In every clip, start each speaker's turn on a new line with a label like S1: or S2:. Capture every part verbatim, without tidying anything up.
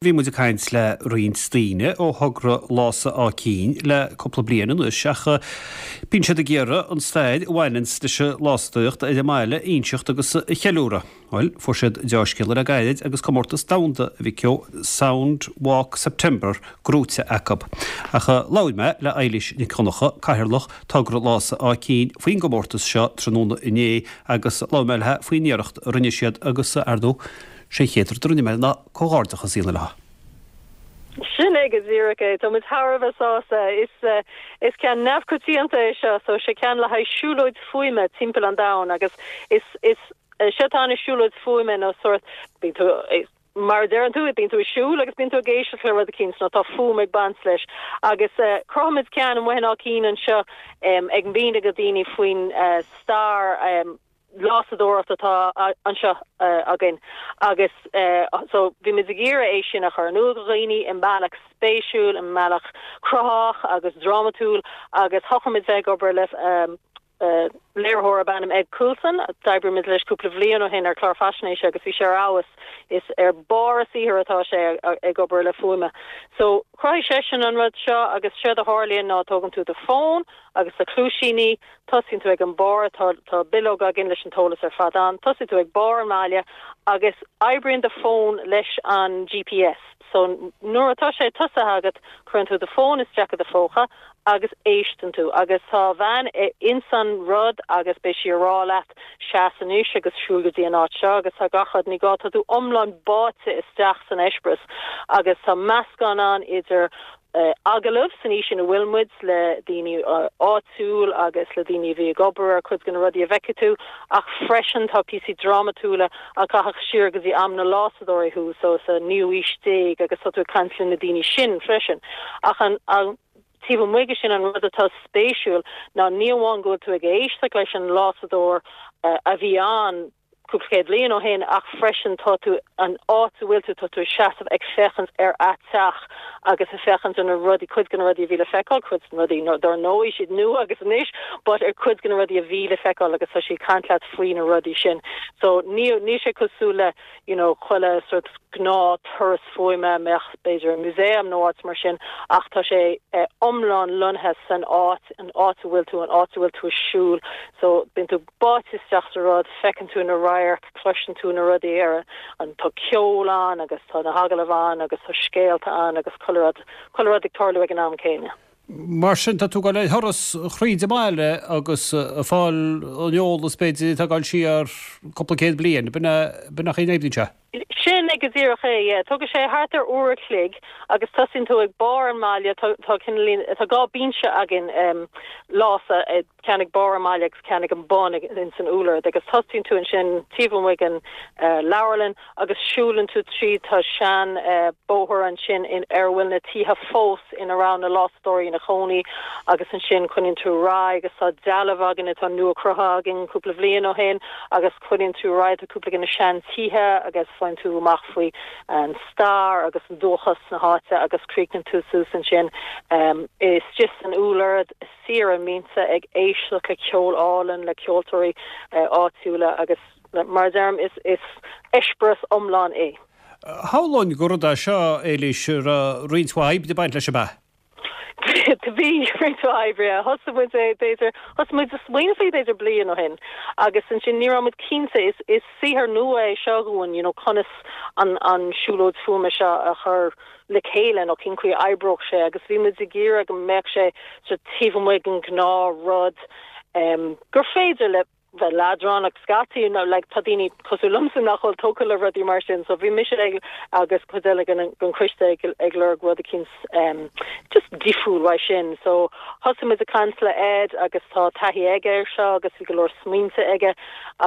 S1: Bhí muid ag caint le roinnt daoine ó thogra Lása Áth Cinn le cúpla bliain anois ach bíonn siad ag iarraidh an stair a bhaineanns leis an lásadóireacht ar an mbaile a inseacht agus a cheiliúradh. Bhuel, fuair siad deá-scéala le gairid agus comórtas domhanda a bhí acu Sound Walk September gnóite acu. Ach labhair mé le Eilís Nic Dhonncha, Cathaoirleach Togra Lása Áth Cinn faoin gcomórtas seo tráthnóna inné agus labhair mé léi faoin iarracht a rinne siad agus ar ndóigh sé an chéad rud a rinne mé ná comhghairdeachas a dhéanamh léi.
S2: Sin é go díreach é Tá muid thar a bheith sásta is uh, is ceann neamhchoitianta é seo so sé ceann le haghaidh siúlóid fuaime timpeall an domhain agus is is uh, sé tá na siúlóid fuaime nó sort bíonn tú mar deireann tú bíonn tú ag siúl agus bíonn tú ag éisteacht le rud éicint nó tá fuaim ag baint leis agus uh, chruthaigh muid ceann amuigh in Áth Cinn anseo um, ag míniú do dhaoine faoin uh, stair um, lásadóireacht atá anseo uh, againn agus uh, so bhí muid ag iarraidh é sin a chur in iúl do dhaoine i mbealach spéisiúil i mbealach cruthaitheach agus drámatúil agus thosaigh muid ag obair le um, uh, léiritheoir darb ainm Ed Coulson d'oibrigh muid leis cúpla bliain ó shin ar chlár faisnéise agus bhí sé abhus is ar barr a saothair atá sé ag obair le fuaime. So chruthaigh seisean an rud seo agus sé a tharlaíonn ná tógann tú do fón agus na cluaisíní tosaíonn tú ag an barr tá tá bileog againn leis an t-eolas ar fad ann, tosaíonn tú ag barr an bhaile agus oibríonn do fón leis an GPS. So nuair atá sé tosaithe agat cuireann tú do fón isteach i do phóca agus éisteann tú agus tá bhean insan rud agus beidh sí ag rá leat seas anois agus siúil go dtí an áit seo agus tá gach rud ní gá tá tú iomlán báite isteach san eispéireas agus tá meascán ann idir uh, agallamh san aois ina bhfuil muid le daoine uh, áitiúil agus le daoine bhí ag obair ar chuid de na rudaí a bhfeicfidh tú ach freisin tá píosaí drámatúla a chaithfeadh siar go dtí am na lásadóirí thú so sa naoú haois déag agus tá tú ag caint le na daoine sin freisin ach an, an taobh amuigh sin an rud atá spéisiúil ná ní amháin go bhfuil tú ag éisteacht leis an lásadóir uh, a bhí ann cúpla céad bliain ó shin ach freisin tá tú an áit a bhfuil tú tá tú seasamh ag féachaint ar an teach agus ag féachaint ar na rudaí cuid de na rudaí a bhí le feiceáil cuid rudaí dar ndóigh siad nua agus anois, but ar cuid de na rudaí a bhí le feiceáil agus tá sí ag caint leat faoi na rudaí sin. So ní ní sé cosúil le you know, chuile sort gnáth turas fuaime mbeadh b'fhéidir museum nó áit mar sin ach tá sé eh, iomlán lonnaithe san áit an áit a bhfuil tú an áit a bhfuil tú ag siúl so bíonn tú báite isteach sa rud feiceann tú na radhairc cloiseann tú na rudaí ar an tá ceol ann agus tá na hagallaimh ann agus tá scéalta ann agus chuile rud chuile rud ag tarlú ag an am céanna.
S1: Mar sin tá tú ag dul ar thuras thríd an mbaile agus ag fáil an eolas b'fhéidir tá gal siar cúpla céad bliain, b'in nach é sé.
S2: Sin é go díreach é Tugann sé thart ar uair a chloig agus tosaíonn tú ag barr an bhaile tá tá dhá binse againn um, lása ceann ag barr an bhaile agus ceann ag an bun in san úlard agus tosaíonn tú ansin taobh amuigh an uh, leabharlann agus siúlann tú trí tá sean uh, bóthar ansin in ar bhfuil na tithe fós ina raibh na lásadóirí ina gcónaí agus ansin coinníonn tú ar aghaidh agus tá dealbh againn atá nua cruthaithe againn cúpla bliain ó shin agus coinníonn tú ar aghaidh cúpla de na sean tithe agus faigheann tú amach faoi an stair agus an dúchas na háite agus críochnaíonn tú suas ansin um, is just an úlard siar an mbinse ag éisteacht le ceol álainn le ceoltóirí uh, áitiúla agus mar deirim is is eispéireas iomlán é.
S1: Shamhlóinn gur rud é seo Éilís roinnt mhaith oibre ag baint leis ab ea.
S2: Bhí roinnt oibre thosaigh muid b'fhéidir thosaigh muid ag smaoineamh faoi b'fhéidir bliain ó shin agus ansin ní raibh muid cinnte is is saothar nua é seo dúinn you know conas an an siúlóid fuaime seo a chur le chéile nó cén chaoi a oibreodh sé agus bhí muid ag iarraidh go mbeadh sé sa taobh amuigh den ghnáthrud um, gur féidir le bheith leadránach scaití nó like tá daoine cosúil liomsa nach bhfuil tógtha le rudaí mar sin so bhí mise ag agus cuid eile den den choiste ag ag lorg rud éicint um, just difriúil uaidh sin so thosaigh muid ag caint le Ed agus tá taithí aige air seo agus bhí go leor smaointe aige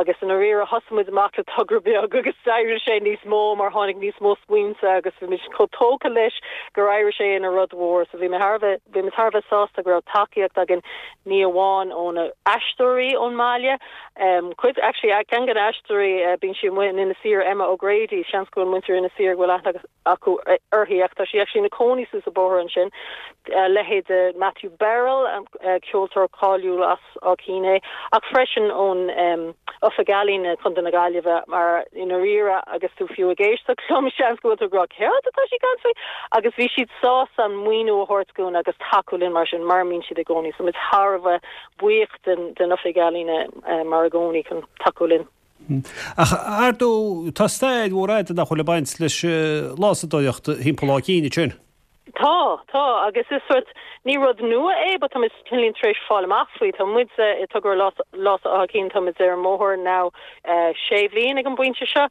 S2: agus in riire thosaigh muid amach le togra beag agus d'éirigh sé níos mó mar tháinig níos mó smaointe agus bhí muid chomh tógtha leis gur éirigh sé ina rud mhór so bhí mé thar bhí mé thar sásta go raibh tacaíocht againn ní amháin ó na aisteoirí ón mbaile Cuid actually ceann de na haisteoirí bíonn sí amuigh in Inis Oírr Emma O'Grady seans go bhfuil muintir Inis Oírr go bhfuil aithne acu uirthi ach tá sí actually ina cónaí suas an bóthar ansin leithéid Matthew Barrell ceoltóir cáiliúil as Áth Cinn é ach freisin ón um, Oifig Ealaíon Chontae na Gaillimhe mar i ndáiríre agus tú fiú ag éisteacht liom seans go bhfuil tú ag rá céard atá sí ag caint faoi agus bhí siad sásta an maoiniú a thabhairt dúinn agus tacú linn mar sin mar mbíonn siad i gcónaí so muid thar a bheith buíoch den den Oifig Ealaíon uh, mar i gcónaí chun tacú linn.
S1: Ach ar ndóigh tá stair mhór fhada nach bhfuil ag baint leis lásadóireacht thimpeall Áth Cinn sin.
S2: Tá tá agus is sort ní rud nua é, but tá cineál tar éis fáil amach faoi tá muid i togra Lása Átha Cinn tá muid ar an mbóthar now uh, sé bhliain ag an bpointe seo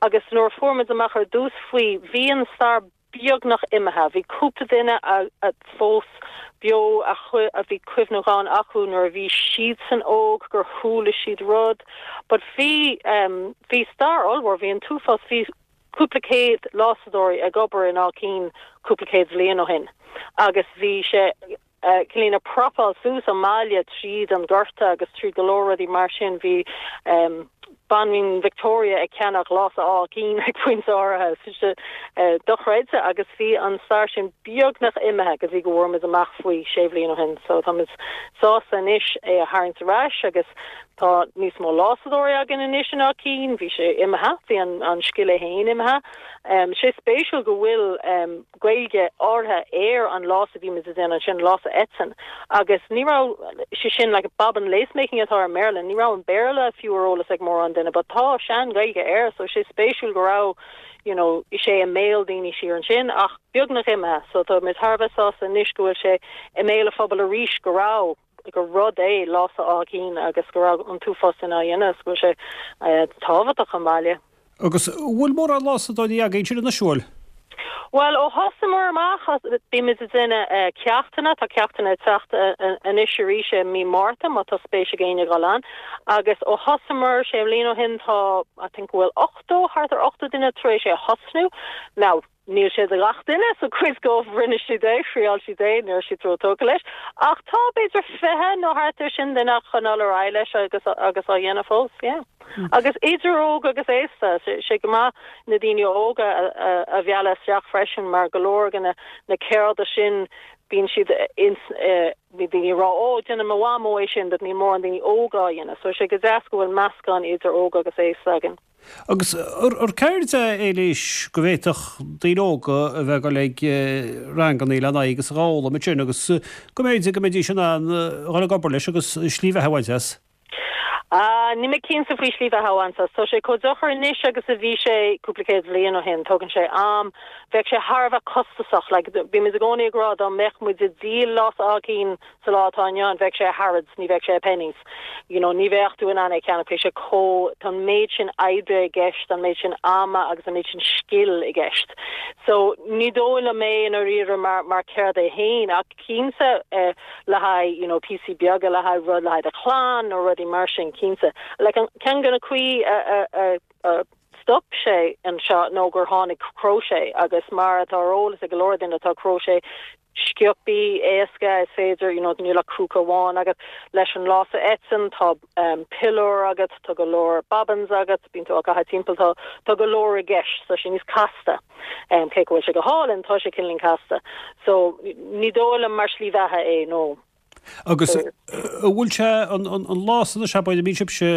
S2: agus nuair a fuair muid amach ar dtús faoi bhí an stair beagnach imithe bhí cúpla duine a, a fós beo a, a bhí cuimhneachán acu nuair a bhí siadsan óg gur chuala siad rud, but bhí um, bhí stair ollmhór bhí an t-uafás bhí cúpla céad lásadóirí ag obair in Áth Cinn cúpla céad bliain ó shin. Agus bhí sé uh, cineál ag propáil suas an mbaile tríd an gorta agus trí go leor rudaí mar sin bhí um, Banríon Victoria ag ceannach lása Áth Cinn ag pointe áirithe uh, dochreidte agus bhí an stair sin beagnach imithe go dtí go bhfuair muid amach faoi sé bliana ó shin, so tá sásta anois é a tharraingt ar ais agus tá níos mó lásadóirí againn anois in Áth Cinn, bhí sé imithe bhí an, an scil é féin imithe. Um, sé spéisiúil go bhfuil um, Gaeilge áirithe ar an lása bhí an sin lása eitinn agus ní raibh sé sin like bobbin lacemaking atá ar mBéarla, ní raibh an Béarla fiú ar eolas ag mórán duine, but tá sean-Ghaeilge air so sé spéisiúil go raibh you know, sé i mbéal daoine siar ansin ach beagnach imithe, so tá muid thar a bheith sásta anois go bhfuil sé i mbéal an phobail arís go raibh gur rud é lása Áth Cinn agus go raibh an t-uafás sin á dhéanamh go sé uh, tábhachtach an baile.
S1: Agus bhfuil mórán lásadóirí againn sin anois bhfuil?
S2: Well ó thosaíomar amach bímid ag déanamh uh, ceachtanna tá ceachtanna teacht uh, anois arís i mí Márta má tá spéis ag éinne dul ann agus ó thosaíomar sé bliana ó shin tá I think bhfuil ochtó thart ar ochtó duine tar éis é thosnú. Now níl sé do gach duine so cuid díobh rinne siad é thriail siad é níl siad róthógtha leis ach tá b'fhéidir fiche nó thart ar sin duine chun dul ar aghaidh leis agus agus á dhéanamh fós yeah. Mm. Agus idir óg agus aosta sé go maith na daoine óga a mhealladh isteach freisin mar go leor na na ceirde sin bíonn siad ins bhí daoine rá ó déanann mo mhamó é sin dat ní mór an daoine óga dhéanamh, so sé go deas go bhfuil meascán idir óg agus aosta againn.
S1: Agus ar ceird é éis go bhféadfadh daoine óga a bheith ag dul ag ranganna le n-aghaidh agus a fhoghlaim sin agus go mb'fhéidir go mbeidís in ann dhul ag obair leis agus slí bheatha a bhaint as.
S2: Uh, ní mé cinnte faoi slí bheatha a bhaint as, Tá sé chomh deacair anois agus a bhí sé cúpla céad bliain ó shin, tógann sé am, bheadh sé thar a bheith costasach, like, bhí muid i gcónaí ag rá dá mbeadh muid ag díol lása Áth Cinn sa lá atá inniu ann, bheadh sé Harrods, ní bheadh sé Penneys. You know, ní bheadh tú in ann é ceannach sé có tá méid sin oibre i gceist an méid sin ama agus an méid sin scil i gceist. So ní dóigh liom é i ndáiríre mar mar ceird é féin ach cinnte eh, le haghaidh you know, píosaí beaga le haghaidh rud le haghaidh a chlann nó rudaí mar sin cinnte. Like an ceann de na cuí a, a, a, a stop sé anseo nó gur tháinig crochet agus mar atá ar eolas ag go leor duine atá crochet sciobtha éasca is féidir you know, níl ach crúca amháin agat leis an lása eitinn tá um, piliúr agat tá go leor bobbins agat bíonn tú á timpeall tá tá go leor i gceist tá sé níos casta um, cé go bhfuil sé go hálainn tá sé cineál casta so ní dóigh liom mar slí bheatha é nó.
S1: Agus bhfuil sé an lása se bhí sibhse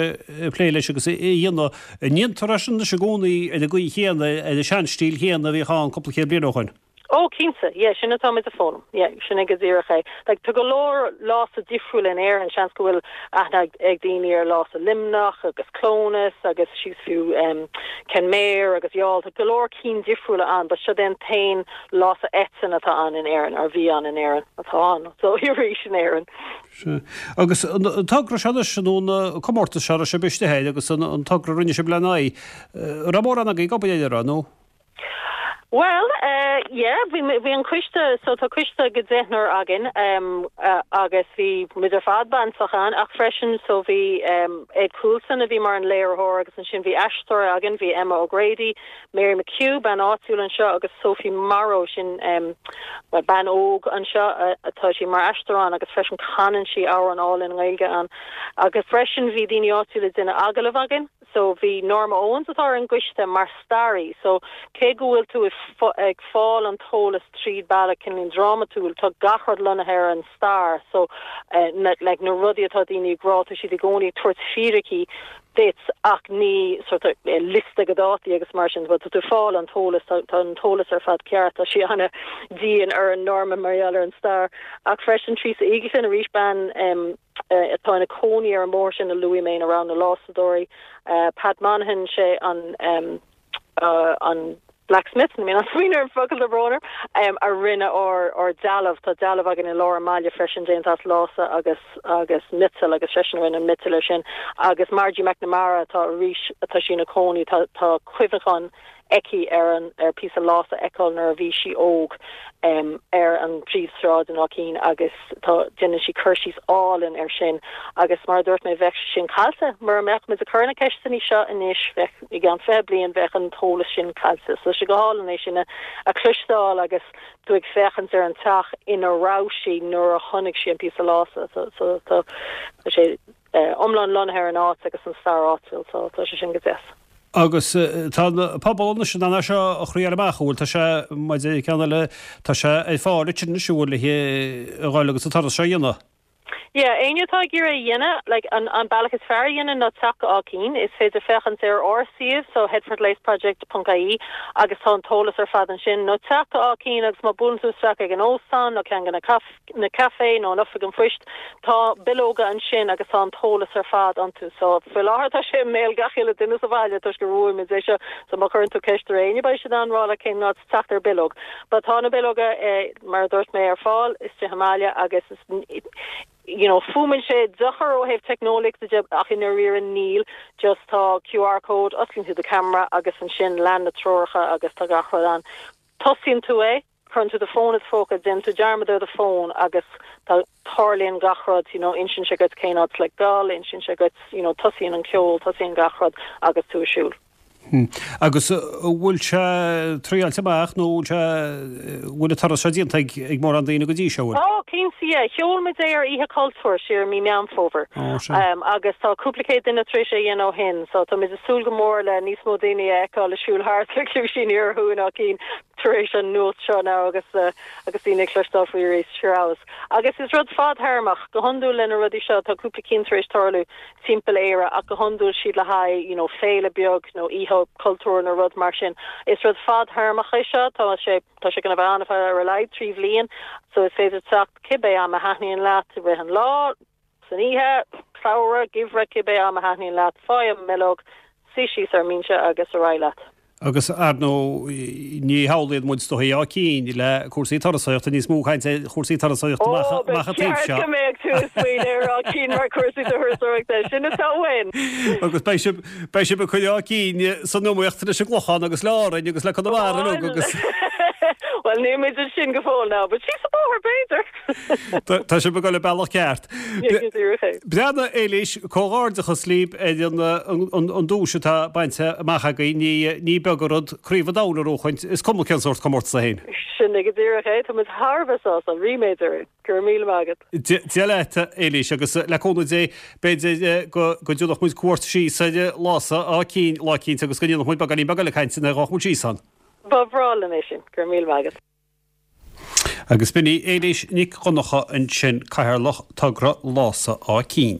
S1: plé leis agus é dhéanamh ndéantar é sin i gcónaí ar an gcaoi chéanna ar an seanstíl chéanna a bhí ann cúpla céad bliain ó shin.
S2: Ó cinnte, yeah, sin atá muid ag foghlaim. Yeah, sin go díreach é. Like, tá go leor lása difriúil in Éirinn seans go bhfuil aithne ag daoine ar lása Luimneach agus Clones agus síos fiú um, Kenmare agus Youghal tá go leor cinn difriúla ann, but seo an t-aon lása eitinn atá ann in Éirinn ar bhí ann in Éirinn atá ann, so arís in Éirinn.
S1: Agus an togra seo nó na comórtas seo sé biste agus an togra rinne sé le n-aghaidh, ramór an ag go nó?
S2: Well, uh, yeah, bhí bhí an coiste so tá coiste go deichniúr againn um, uh, agus bhí muid ar fad bainteach ann ach freisin so bhí um, Ed Coulson a bhí mar an léiritheoir agus ansin bhí aisteoir againn bhí Emma O'Grady, Mary McHugh bean áitiúil anseo agus Sophie Morrow sin um, well, bean óg anseo uh, atá sí mar aisteoir ann agus freisin canann sí amhrán álainn Gaeilge ann agus freisin bhí daoine áitiúla ag déanamh agallamh againn so bhí Norma Owens atá ar an gcoiste mar staraí so cé go bhfuil tú ag fáil an t-eolas tríd bealach cineál drámatúil tá gach rud lonnaithe ar an stair so uh, na, like, na rudaí atá daoine ag rá siad i gcónaí tabhairt fíricí duit ach ní sort of, eh, liosta de dhátaí agus mar sin but tú fáil an t-eolas tá an t-eolas ar fad ceart tá sí an-dian ar an Norma mar ar an stair ach freisin Teresa Eagleton arís bean um, uh, atá ina cónaí ar an mbóthar sin a luaigh mé ar na lásadóirí uh, Pat Monaghan sé an um, uh, an blacksmith I mean an smaoineamh ar focal de bhróner um, a rinne ár ár dealbh tá dealbh againn i lár an bhaile freisin déanta as lása agus agus miotal agus freisin rinne an miotal sin agus Margie McNamara tá arís atá sí ina cónaí tá tá cuimhneachán aici ar an ar píosa lása aici nuair a bhí sí óg um, ar an príomhshráid in Áth Cinn agus tá déanann sí cur síos álainn ar sin agus mar dúirt mé bheadh sin caillte mar mbeadh muid ag cur na ceisteanna seo anois bheadh i gceann fiche bliain bheadh an t-eolas sin caillte so sé go hálainn é sin a a chloisteáil agus tú ag féachaint ar an teach ina raibh sí nuair a chonaic sí an píosa lása so so tá sé uh, iomlán lonnaithe ar an áit agus an stair áitiúil so tá sé sin go deas.
S1: Agus tá pobal sin an seo a chroí amach bhfuil tá sé maidir ceann le tá sé ag fáil sin siúil le dháil agus tá seo dhéanamh.
S2: Yeah, éinne atá ag iarraidh é a dhéanamh like, an, an bealach is fearr dhéanamh ná teacht go Áth Cinn is féidir féachaint ar ár suíomh so headfordlaceproject.ie agus tá an t-eolas ar fad ansin nó teacht go Áth Cinn agus má bhuaileann tú isteach ag an óstán nó ceann na caf na café nó an oifig an phoist tá bileoga ansin agus tá an t-eolas ar fad iontu so faoi láthair tá sé i mbéal gach uile duine sa bhaile toisc go bhfuair é seo so má chuireann tú ceist ar éinne beidh siad ag rá cén áit teacht ar bileog. Ba tá na bileoga eh, mar dúirt mé ar fáil istigh sa mbaile agus is, you know fuaimeann sé deacair ó thaobh teicneolaíochta de ach i ndáiríre níl just tá QR code osclaíonn tú do camera agus ansin lean na treoracha agus tá gach rud ann tosaíonn tú é cuireann tú do fón i do phóca déanann tú dearmad ar do fón agus tá tarlaíonn gach rud you know insíonn sé duit cén áit le dul insíonn sé duit you know tosaíonn an ceol tosaíonn gach rud agus tú ag siúl.
S1: Hmm. Agus bhfuil sé triáilte amach nó bhfuil sé bhfuil tar se déanta ag ag mórán daoine go dtí seo?
S2: Ó cinnte sheol muid é ar Oíche Chultúir siar mí Meán Fómhair. Um, agus tá cúpla céad duine tar éis é a dhéanamh ó shin, so tá muid ag súil go mór le níos mó daoine a fheiceáil ag siúl thart le cluaisíní orthu in Áth Cinn tar éis an nuacht seo ná agus uh, agus daoine ag cloisteáil faoi arís siar Agus is rud fadtéarmach go hiondúil le na rudaí seo tá cúpla cinn tar éis tarlú timpeall Éire ach go hiondúil siad le haghaidh you know, féile beag nó oíche cultúr nó rud mar sin. Is rud fadtéarmach é seo tá sé tá sé gonna bheith ann ar a laghad trí bhliain, so is féidir teacht cibé am a thaitníonn leat i rith an lá, san oíche, samhradh, geimhreadh cibé am a thaitníonn leat faigh an bhileog, suigh síos ar an mbinse agus ar aghaidh leat.
S1: Agus ar ndóigh ní shamhlaíonn muid do Áth Cinn le cúrsaí turasóireachta níos mó cainte chúrsaí turasóireachta amach an taobh seo.
S2: go mbeadh tú smaoineamh ar Áth Cinn mar cúrsaí turasóireachta sin atá uainn.
S1: Agus beidh sibh beidh sibh ag cur Áth Cinn san iomaíocht leis an gClochán agus le Árainn agus le Conamara agus.
S2: Well ní muid sin go fóill ná, but sí sa bóthar b'fhéidir.
S1: Tá sibh ag dul an bealach ceart. Breandán Éilís comhghairdeachas libh ar an an duais atá bainte amach agaibh ní ní beag an rud craobh an domhain a bhuachaint is cuma cén sórt comórtas é féin.
S2: Sin go díreach é tá muid thar a bheith sásta ríméad orainn go raibh míle maith agat.
S1: Dia leat Éilís agus le cúnamh Dé b'fhéidir go go dtabharfaidh muid cuairt síos ar Lása Áth Cinn lá eicínt agus go ndéanfaidh muid beagáinín beag eile cainte nuair a ghabhfaidh muid síos ann.
S2: Ba bhreá linn é sin go raibh míle maith agat.
S1: Agus b'in í Éilís Nic Dhonncha ansin cathaoirleach togra Lása Áth Cinn.